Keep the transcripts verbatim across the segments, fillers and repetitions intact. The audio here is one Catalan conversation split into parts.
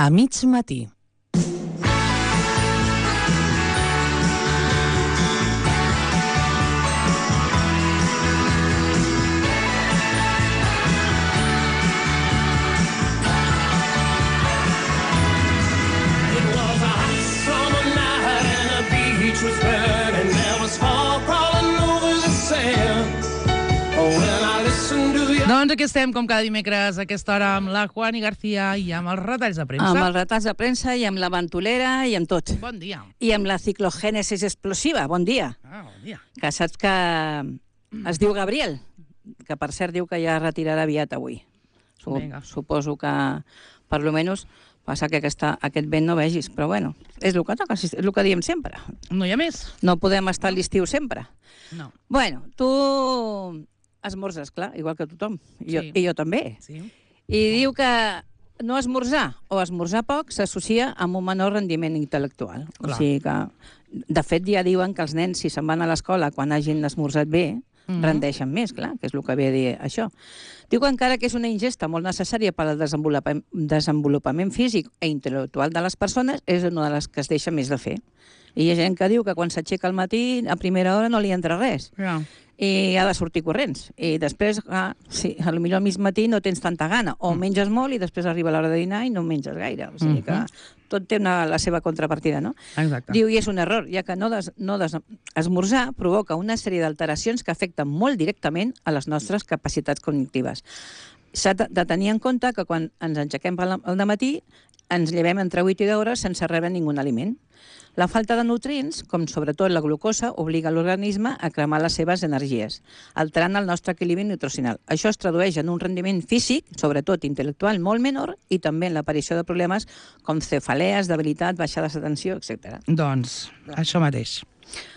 A mig matí. Doncs aquí estem, com cada dimecres, a aquesta hora, amb la Juani García i amb els retalls de premsa. Amb els retalls de premsa i amb la ventolera i amb tot. Bon dia. I amb la ciclogènesis explosiva. Bon dia. Ah, bon dia. Que saps que es diu Gabriel, que per cert diu que ja retirarà aviat avui. Vinga. Suposo que, per lo menys, passa que aquesta, aquest vent no vegis, però bueno, és el que toca, és el que diem sempre. No hi ha més? No podem estar a l'estiu sempre. No. Bueno, tu esmorzes, clar, igual que tothom. I jo, Sí. i jo també. Sí. I diu que no esmorzar o esmorzar poc s'associa amb un menor rendiment intel·lectual. Clar. O sigui que, de fet, ja diuen que els nens, si se'n van a l'escola quan hagin esmorzat bé, Mhm. rendeixen més, clar, que és el que ve a dir això. Diu que encara que és una ingesta molt necessària per al desenvolupament, desenvolupament físic i intel·lectual de les persones, és una de les que es deixa més de fer. I hi ha gent que diu que quan s'aixeca al matí, a primera hora no li entra res. Ja. I ha de sortir corrents. I després, ah, sí, a lo millor al mig matí no tens tanta gana. O menges molt i després arriba l'hora de dinar i no menges gaire. O sigui que tot té una, la seva contrapartida, no? Exacte. Diu, i és un error, ja que no, des, no des, esmorzar provoca una sèrie d'alteracions que afecten molt directament a les nostres capacitats cognitives. S'ha de de tenir en compte que quan ens aixequem al al matí ens llevem entre vuit i deu hores sense rebre ningú aliment. La falta de nutrients, com sobretot la glucosa, obliga l'organisme a cremar les seves energies, alterant el nostre equilibri nutricional. Això es tradueix en un rendiment físic, sobretot intel·lectual, molt menor, i també en l'aparició de problemes com cefalees, debilitat, baixades d'atenció, etcètera. Doncs, això mateix.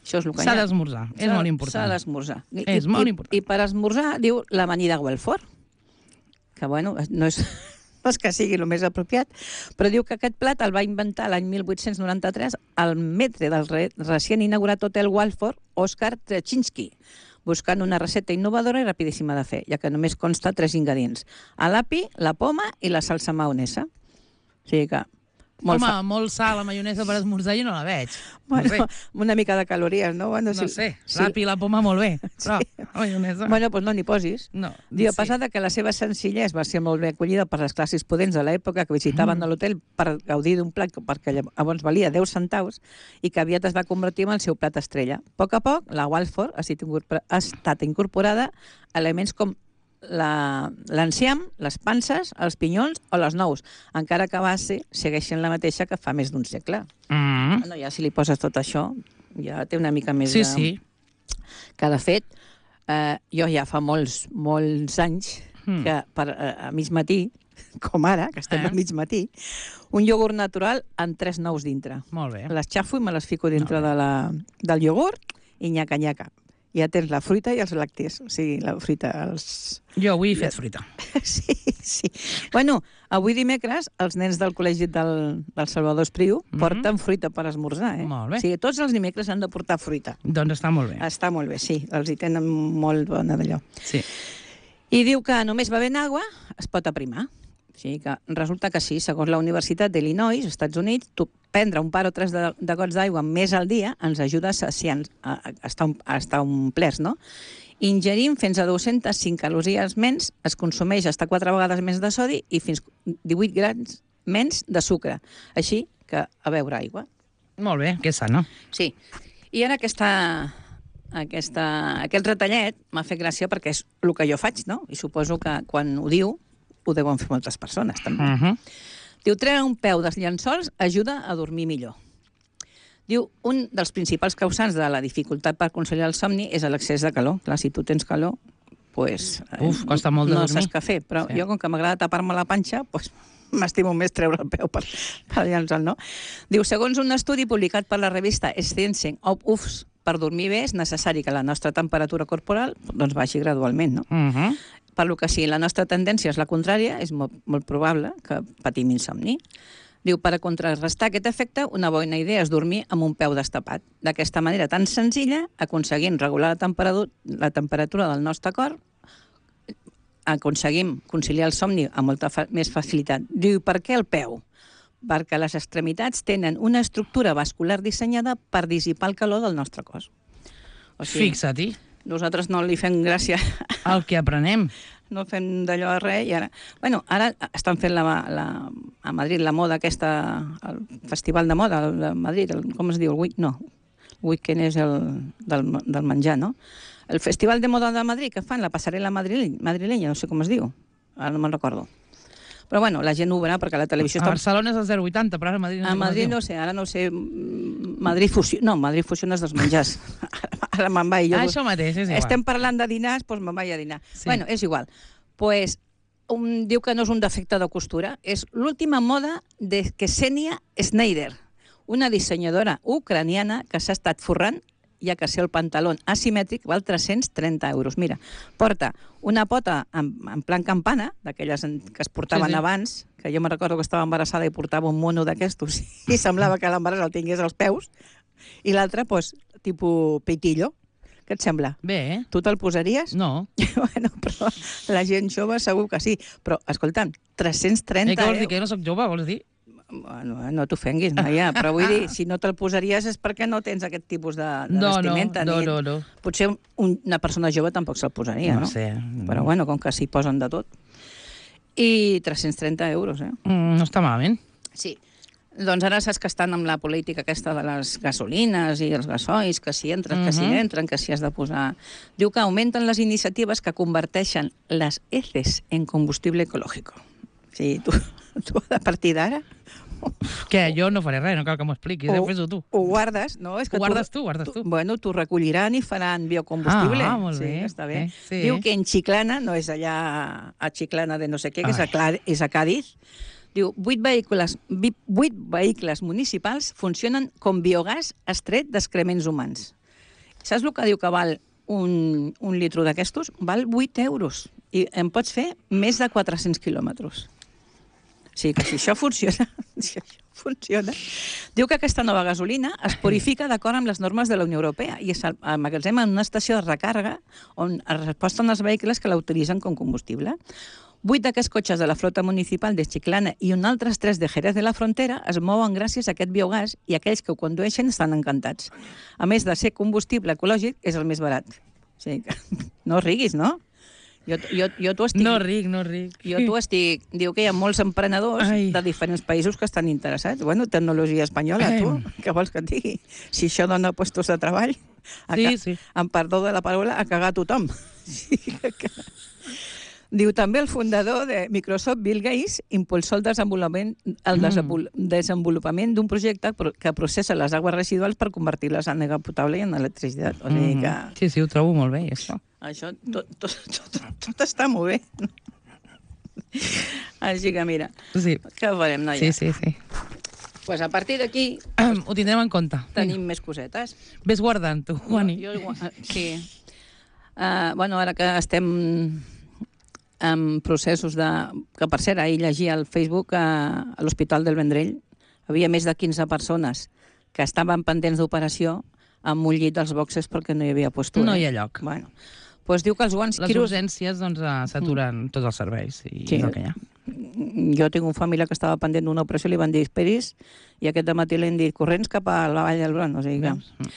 Això és el que S'ha hi ha. d'esmorzar, és S'ha- molt important. S'ha d'esmorzar. I- És i- molt i- important. I per esmorzar, diu l'amanida Guelfort, que, bueno, no és... no és que sigui el més apropiat, però diu que aquest plat el va inventar l'any mil vuit-cents noranta-tres el metre del re recient inaugurat Hotel Waldorf, Oskar Trecinski, buscant una recepta innovadora i rapidíssima de fer, ja que només consta tres ingredients: l'api, la poma i la salsa maonesa. O sigui que... Molt Molt Home, fa... molt sal, la maionesa per esmorzar jo no la veig. bueno, no sé, una mica de calories, no? Bueno, no sé. L'api i la poma molt bé, però la maionesa... Bueno, doncs no n'hi posis. No, Diu, a sí. pesar de que la seva senzillesa va ser molt bé acollida per les classes podents de l'època que visitaven Mm. l'hotel per gaudir d'un plat perquè llavors valia deu centaus i que aviat es va convertir en el seu plat estrella. A poc a poc, la Waldorf ha estat incorpor- ha estat incorporada a elements com la- l'enciam, les panses, els pinyons o les nous, encara que a base segueixen la mateixa que fa més d'un segle. Mm. Bueno, ja si li poses tot això, ja té una mica més Sí, de... sí. Que, de fet, eh, jo ja fa molts, molts anys Mm. que per, eh, a mig matí, com ara, que estem Eh? a mig matí, un iogurt natural amb tres nous dintre. Molt bé. Les xafo i me les fico dintre Molt de la, del iogurt i nyaca-nyaca. Ja tens la fruita i els làctees. O sigui, la fruita, els... Jo avui he fet fruita. Sí, sí. Bueno, avui dimecres els nens del col·legi del, del Salvador Espriu Mhm. porten fruita per esmorzar, eh? Molt bé. O sigui, tots els dimecres han de portar fruita. Doncs està molt bé. Està molt bé, sí. Els hi tenen molt bona d'allò. Sí. I diu que només bevent aigua es pot aprimar. O sigui que resulta que sí, segons la Universitat d'Illinois, als Estats Units, tu prendre un par o tres de, de gots d'aigua més al dia ens ajuda a, saciar, a, a, estar, a estar omplerts, no? Ingerim fins a dues-centes cinc calories menys, es consumeix fins a quatre vegades més de sodi i fins divuit grams menys de sucre. Així que a beure aigua. Molt bé, que sana. Sí. I ara aquesta, aquesta, aquest retallet m'ha fet gràcia perquè és el que jo faig, no? I suposo que quan ho diu ho deuen fer moltes persones, també. Uh -huh. Diu, treure un peu dels llençols ajuda a dormir millor. Diu, un dels principals causants de la dificultat per conciliar el somni és l'excés de calor. Clar, si tu tens calor, pues, Uf, costa molt de no dormir. saps què fer. Però Sí. jo, com que m'agrada tapar-me la panxa, pues, m'estimo més treure el peu per, per llençol, no? Diu, segons un estudi publicat per la revista Science of Ufs, per dormir bé és necessari que la nostra temperatura corporal doncs, baixi gradualment, no? Uh -huh. Per lo que si la nostra tendència és la contrària, és molt, molt probable que patim insomni. Diu, per a contrarrestar aquest efecte, una bona idea és dormir amb un peu destapat. D'aquesta manera tan senzilla, aconseguim regular la temperatura, la temperatura del nostre cor, aconseguim conciliar el somni amb molta fa més facilitat. Diu, per què el peu? perquè les extremitats tenen una estructura vascular dissenyada per dissipar el calor del nostre cos. O sigui, fixa't-hi. Nosaltres no li fem gràcia. El que aprenem. No fem d'allò a res i ara... Bueno, ara estan fent la, la, a Madrid la moda aquesta, el festival de moda de Madrid, el, com es diu? El week, no, el weekend és el del, del menjar, no? El festival de moda de Madrid que fan, la passarel·la madrilenya, madrilenya, no sé com es diu, ara no me'n recordo. Però bueno, la gent ho veurà perquè la televisió... A està... Barcelona és el zero coma vuitanta, però ara a Madrid no sé. A Madrid no sé, ara no sé... Madrid Fusió... No, Madrid Fusió és dels menjars. Ara me'n vaig. Jo... Ah, això mateix, és igual. Estem parlant de dinars, doncs me'n vaig a dinar. Sí. Bueno, és igual. Pues, un, diu que no és un defecte de costura, és l'última moda de Ksenia Schneider, una dissenyadora ucraniana que s'ha estat forrant ja que ser el pantaló asimètric val tres-cents trenta euros. Mira, porta una pota en, en plan campana, d'aquelles que es portaven sí, sí. abans, que jo me recordo que estava embarassada i portava un mono d'aquestos i semblava que l'embaràs el tingués als peus, i l'altre, doncs, tipus peitillo. Què et sembla? Bé, eh? Tu te'l posaries? No. Bueno, però la gent jove segur que sí. Però, escolta'm, tres-cents trenta... Eh, què vols dir? Que jo no soc jove, vols dir? Bueno, no t'ofenguis, noia, però vull dir, si no te'l posaries és perquè no tens aquest tipus de, de no, vestimenta. No, no, no, no. Potser un, una persona jove tampoc se'l posaria, no? No sé. Però bueno, com que s'hi posen de tot. I tres-cents trenta euros, eh? Mm, no està malament. Sí. Doncs ara saps que estan amb la política aquesta de les gasolines i els gasoils, que si entren, que si Mhm. entren, que si has de posar... Diu que augmenten les iniciatives que converteixen les heces en combustible ecològic. O sigui, tu, tu a partir d'ara... Què? Jo no faré res, no cal que m'ho expliquis, ho fes-ho tu. Ho guardes, no? És que ho guardes tu, guardes tu. Bueno, t'ho recolliran i faran biocombustible. Ah, molt bé. Sí, està bé. Eh, sí. Diu que en Chiclana, no és allà a Chiclana de no sé què, que és a, Clar, és a Cádiz, diu, vuit vehicles, vuit vehicles municipals funcionen com biogàs extret d'excrements humans. Saps el que diu que val un, un litro d'aquestos? Val vuit euros. I en pots fer més de quatre-cents quilòmetres. O sigui que si això funciona, si això funciona... Diu que aquesta nova gasolina es purifica d'acord amb les normes de la Unió Europea i es emmagatzema en una estació de recàrrega on es resposten els vehicles que la utilitzen com combustible. Vuit d'aquests cotxes de la flota municipal de Chiclana i un altres tres de Jerez de la Frontera es mouen gràcies a aquest biogàs i aquells que ho condueixen estan encantats. A més de ser combustible ecològic, és el més barat. O sigui que no riguis, no? Jo, jo, jo t'ho estic... No ric, no ric. Jo t'ho estic... Diu que hi ha molts emprenedors Ai. de diferents països que estan interessats. Bueno, tecnologia espanyola, tu, què vols que et digui? Si això dona puestos de treball, a Sí, ca... sí. amb perdó de la paraula, a cagar tothom. Sí, que... Diu també el fundador de Microsoft, Bill Gates, impulsó el desenvolupament, el mm. desenvolupament d'un projecte que processa les aigües residuals per convertir-les en aigua potable i en electricitat. O sigui que... Sí, sí, ho trobo molt bé, això. Això tot, tot, tot, tot està molt bé. Així que mira, sí. Què farem, noia? Sí, sí, sí. Pues a partir d'aquí... Um, ho tindrem en compte. Tenim més cosetes. Ves guardant, tu, Juani. Jo, jo, sí. Uh, bueno, ara que estem en processos de... Que, per cert, ahir llegia al Facebook a, a l'Hospital del Vendrell havia més de quinze persones que estaven pendents d'operació amb un llit als boxes perquè no hi havia postura. No hi ha lloc. Bueno, pues diu que els guants... Les quiros... urgències doncs, s'aturen mm. tots els serveis i sí. és el que hi ha. Jo tinc un familiar que estava pendent d'una operació, li van dir esperis, i aquest dematí li han dit corrents cap a la Vall d'Hebron. O sigui que... Mm.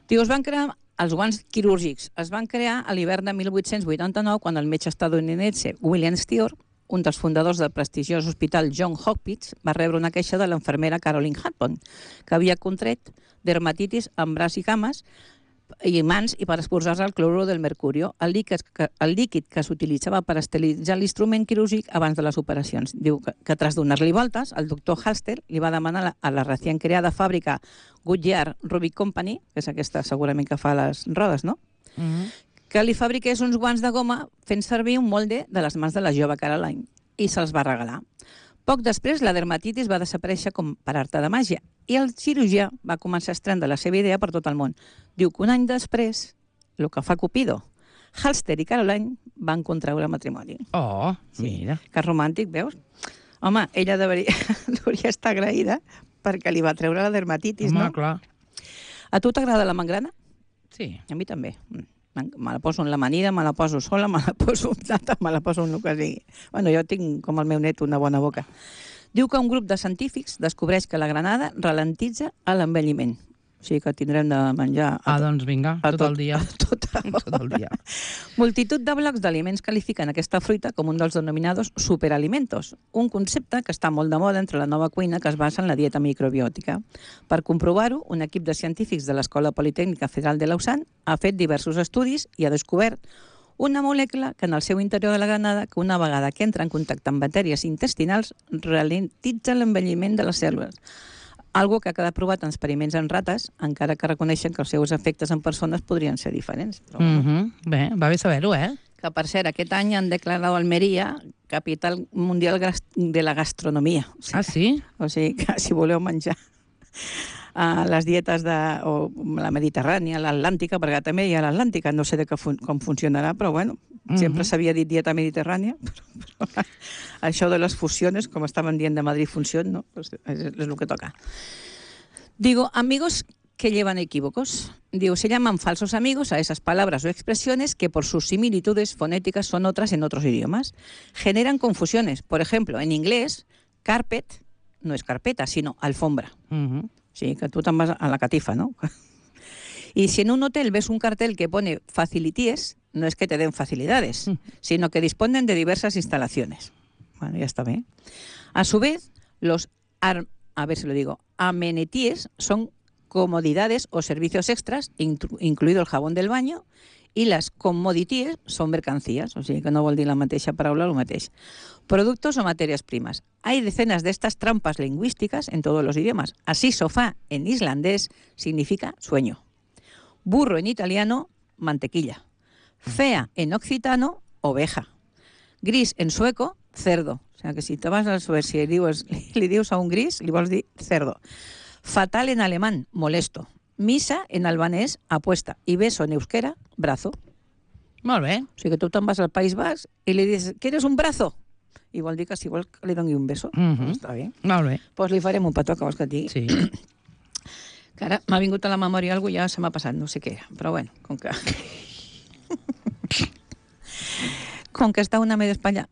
Diu, es van crear els guants quirúrgics. Es van crear a l'hivern de mil vuit-cents vuitanta-nou quan el metge estadounidense William Steer, un dels fundadors del prestigiós hospital John Hopkins, va rebre una queixa de l'infermera Caroline Harpon, que havia contret dermatitis en braç i cames i mans i per exposar-se al clorur del mercurio, el líquid que, el líquid que s'utilitzava per esterilitzar l'instrument quirúrgic abans de les operacions. Diu que, que tras donar-li voltes, el doctor Halster li va demanar a la recient creada fàbrica Goodyear Rubber Company, que és aquesta segurament que fa les rodes, no? Mm-hmm. Que li fabriqués uns guants de goma fent servir un molde de les mans de la jove Caroline i se'ls va regalar. Poc després, la dermatitis va desaparèixer com per arte de màgia i el cirurgià va començar a estendre la seva idea per tot el món. Diu que un any després, el que fa Cupido, Halster i Caroline van contraure matrimoni. Oh, sí. Mira. Que romàntic, veus? Home, ella deveria, hauria estar agraïda perquè li va treure la dermatitis, Home, no? Clar. A tu t'agrada la mangrana? Sí. A mi també. Me la poso en l'amanida, me la poso sola, me la poso amb nata, me la poso en el que sigui. Bueno, jo tinc, com el meu net, una bona boca. Diu que un grup de científics descobreix que la granada ralentitza l'envelliment. O sigui que tindrem de menjar... Ah, doncs vinga, tot, tot el dia. Tot, tot el dia. Multitud de blocs d'aliments qualifiquen aquesta fruita com un dels denominados superalimentos, un concepte que està molt de moda entre la nova cuina que es basa en la dieta microbiòtica. Per comprovar-ho, un equip de científics de l'Escola Politècnica Federal de Lausanne ha fet diversos estudis i ha descobert una molècula que en el seu interior de la granada, que una vegada que entra en contacte amb matèries intestinals, ralentitza l'envelliment de les cèl·lules. Algo que ha quedat provat en experiments en rates, encara que reconeixen que els seus efectes en persones podrien ser diferents. Però, mm -hmm. Bé, va bé saber-ho, eh? Que, per cert, aquest any han declarat Almeria capital mundial de la gastronomia. O sigui, ah, sí? O sigui, que si voleu menjar a les dietes de o la mediterrània, l'Atlàntica, perquè també hi ha l'Atlàntica, no sé de que fun com funcionarà, però bueno, mm -hmm. sempre s'havia dit dieta mediterrània, però, però això de les fusiones, com estaven dient de Madrid Función, no? Pues és, és el que toca. Digo, amigos que llevan equívocos. Digo, se llaman falsos amigos a esas palabras o expresiones que por sus similitudes fonéticas son otras en otros idiomas. Generan confusiones. Por ejemplo, en inglés, carpet no es carpeta, sino alfombra. Mm-hmm. Sí, que tú te'n vas a la catifa, ¿no? Y si en un hotel ves un cartel que pone facilities, no es que te den facilidades, mm. sino que disponen de diversas instalaciones. Bueno, ya está bien. A su vez, los, ar a ver si lo digo, amenities son comodidades o servicios extras, incluido el jabón del baño, y las commodities son mercancías, o sigui que no vol dir la mateixa paraula el mateix. Productos o materias primas. Hay decenas de estas trampas lingüísticas en todos los idiomas. Así, sofá en islandés significa sueño. Burro en italiano, mantequilla. Fea en occitano, oveja. Gris en sueco, cerdo. O sea que si te vas a Suecia y dius, li dius a un gris, li vols dir cerdo. Fatal en alemán, molesto. Misa en albanès, apuesta. I beso en euskera, brazo. Molt bé. O sigui que tu te'n vas al País Basc i li dius, ¿quieres un brazo? I vol dir que si vols que li doni un beso. Mm-hmm. Pues està bé. Molt bé. Doncs pues li farem un petó, que vols que et digui. Sí. Que ara m'ha vingut a la memòria alguna cosa, ja se m'ha passat, no sé què era. Però bueno, com que... com que està una media Espanya...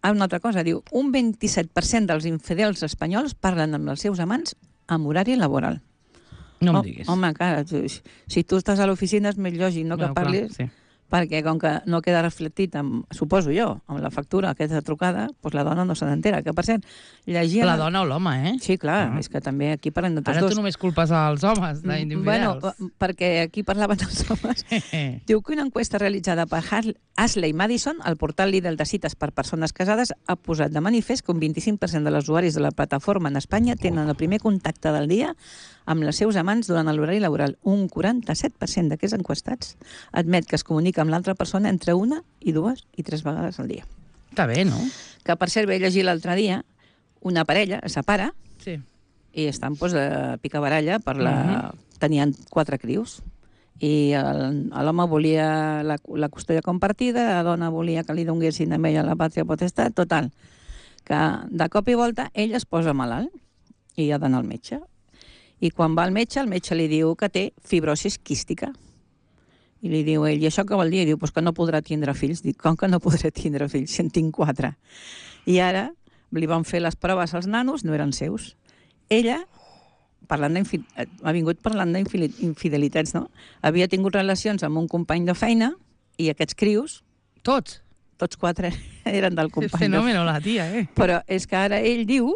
Ah, una altra cosa, diu, un vint-i-set per cent dels infidels espanyols parlen amb els seus amants amb horari laboral. No em oh, diguis. Home, clar, si tu estàs a l'oficina és més lògic, no, que bueno, parlis... clar, sí. Perquè com que no queda reflectit, amb, suposo jo, amb la factura aquesta trucada, doncs la dona no se n'entera. Que, per cert, llegia... La dona o l'home, eh? Sí, clar, ah. és que també aquí parlen de tots Ara dos. Ara tu només culpes als homes d'infidels. Bueno, perquè aquí parlaven dels homes. Diu que una encuesta realitzada per Ashley Madison, el portal líder de cites per persones casades, ha posat de manifest que un vint-i-cinc per cent de les usuaris de la plataforma en Espanya tenen el primer contacte del dia amb els seus amants durant l'horari laboral. Un quaranta-set per cent d'aquests enquestats admet que es comunica amb l'altra persona entre una i dues i tres vegades al dia. Està bé, no? Que, per cert, vaig llegir l'altre dia, una parella es separa sí. i estan doncs, de picabaralla per la... Uh-huh. Tenien quatre crius i l'home volia la, la custòdia compartida, la dona volia que li donguessin a ella la pàtria potestat, total, que de cop i volta ell es posa malalt i ha d'anar al metge. I quan va al metge, el metge li diu que té fibrosis quística. I li diu ell, i això què vol dir? I diu, pues que no podrà tindre fills. Dic, com que no podré tindre fills? Si en tinc quatre. I ara li van fer les proves als nanos, no eren seus. Ella, parlant ha vingut parlant d'infidelitats, no? Havia tingut relacions amb un company de feina i aquests crios... Tots? Tots quatre eren del company. És fenòmeno, la tia, eh? Però és que ara ell diu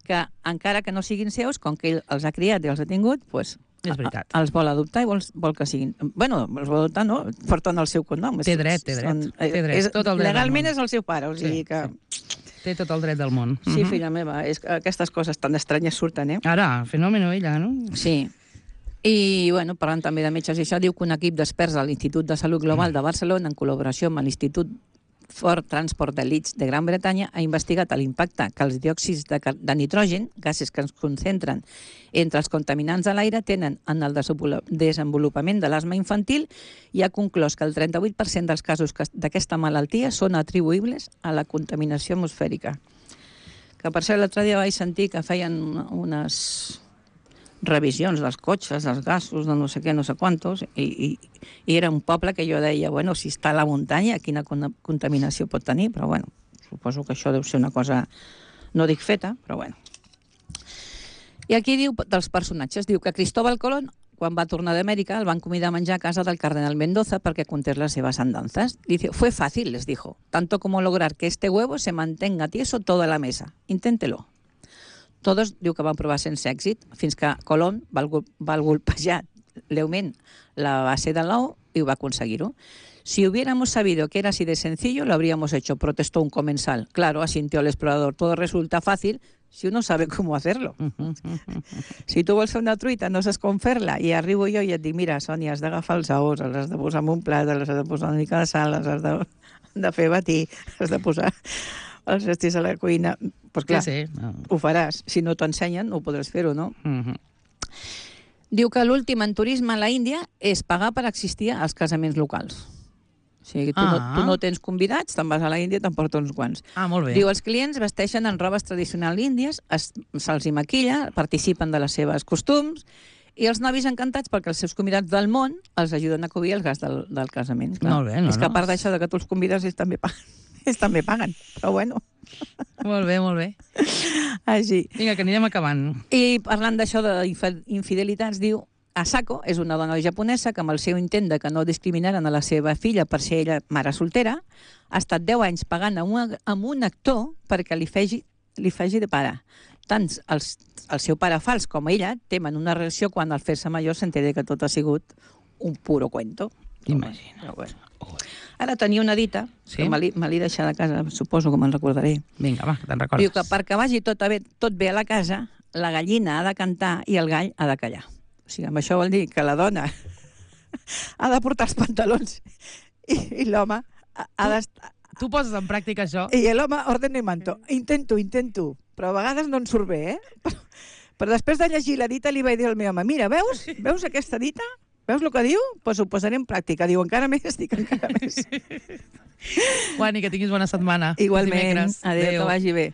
que encara que no siguin seus, com que ell els ha criat i els ha tingut, doncs és veritat. Els vol adoptar i vol, vol que siguin... Bueno, els vol adoptar, no? Porten el seu cognom. Té dret, té dret. Són, té dret. És, tot el dret legalment és el seu pare, o sigui sí, que... Sí. Té tot el dret del món. Sí, uh-huh. Filla meva, és que aquestes coses tan estranyes surten, eh? Ara, fenòmeno ella, no? Sí. I, bueno, parlant també de metges i això, diu que un equip d'experts de l'Institut de Salut Global de Barcelona, en col·laboració amb l'Institut for Transport de Leeds de Gran Bretanya, ha investigat l'impacte que els diòxids de, de nitrogen, gasos que es concentren entre els contaminants de l'aire, tenen en el desenvolupament de l'asma infantil i ha conclòs que el trenta-vuit per cent dels casos d'aquesta malaltia són atribuïbles a la contaminació atmosfèrica. Que per cert, l'altre dia vaig sentir que feien unes revisions dels cotxes, dels gasos, de no sé què, no sé quantos, i, i, i era un poble que jo deia, bueno, si està a la muntanya, quina contaminació pot tenir, però bueno, suposo que això deu ser una cosa No dic feta, però bueno. I aquí diu dels personatges, diu que Cristóbal Colón, quan va tornar d'Amèrica, el van convidar a menjar a casa del cardenal Mendoza perquè contés las seves andanzas. Dice, fue fácil, les dijo, tanto como lograr que este huevo se mantenga tieso toda la mesa. Inténtelo. Todos, diu que van provar sense èxit, fins que Colón va, va golpejar leument la base del l'ou i ho va aconseguir-ho. Si hubiéramos sabido que era así de sencillo, lo habríamos hecho, protestó un comensal. Claro, asintió el explorador, todo resulta fácil si uno sabe cómo hacerlo. Si tu vols fer una truita, no saps com fer-la, i arribo jo i et dic, mira, Sònia, has d'agafar els ous, els has de posar en un plat, els has de posar una mica de sal, els has de, de fer batir, has de posar els estris a la cuina. Pues clar, sí, sí. No. Ho faràs. Si no t'ho ensenyen, no ho podràs fer-ho, no? Uh-huh. Diu que l'últim en turisme a la Índia és pagar per existir als casaments locals. O sigui, tu, ah. no, tu no tens convidats, te'n vas a la Índia i t'emporta uns quants. Ah, molt bé. Diu, els clients vesteixen en robes tradicionals índies, se'ls hi maquilla, participen de les seves costums, i els novis encantats perquè els seus convidats del món els ajuden a cobrir el gas del, del casament. Clar. Molt bé, no, És que a part no? d'això de que tu els convides, ells també paguen. Ells també paguen, però bueno. Molt bé, molt bé. Així. Vinga, que anirem acabant. I parlant d'això d'infidelitats, diu, Asako és una dona japonesa que amb el seu intent de que no discriminaren a la seva filla per ser ella mare soltera, ha estat deu anys pagant a un, a un actor perquè li faci, li faci de pare. Tant els, el seu pare fals com ella temen una reacció quan al fer-se major s'entén que tot ha sigut un puro cuento. Imagina. Bueno. Ara tenia una dita, sí? que me l'he deixat a casa, suposo que me'n recordaré. Vinga, va, te'n recordes. Diu que perquè vagi tot bé, tot bé a la casa, la gallina ha de cantar i el gall ha de callar. O sigui, amb això vol dir que la dona ha de portar els pantalons i, i l'home ha d'estar... Tu poses en pràctica això? I l'home ordena i manto. Intento, intento, però a vegades no en surt bé, eh? Però, però després de llegir la dita li vaig dir al meu home, mira, veus? Veus aquesta dita? Veus el que diu? Doncs pues ho posaré en pràctica. Diu, encara més, dic encara més. Juani, que tinguis bona setmana. Igualment. Adéu, que vagi bé.